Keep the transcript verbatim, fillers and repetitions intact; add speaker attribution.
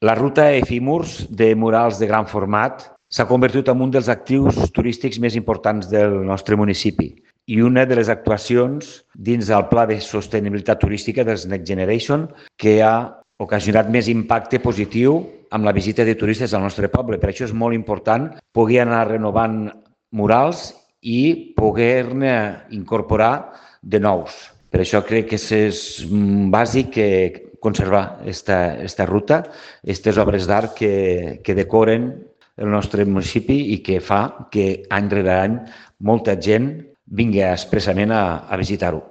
Speaker 1: La ruta Efímurs de murals de gran format s'ha convertit en un dels actius turístics més importants del nostre municipi i una de les actuacions dins del Pla de Sostenibilitat Turística dels Next Generation que ha ocasionat més impacte positiu amb la visita de turistes al nostre poble. Per això és molt important poder anar renovant murals i poder-ne incorporar de nous. Per això crec que és bàsic que conservar esta, esta ruta, aquestes obres d'art que, que decoren el nostre municipi i que fa que any rere any molta gent vingui expressament a, a visitar-ho.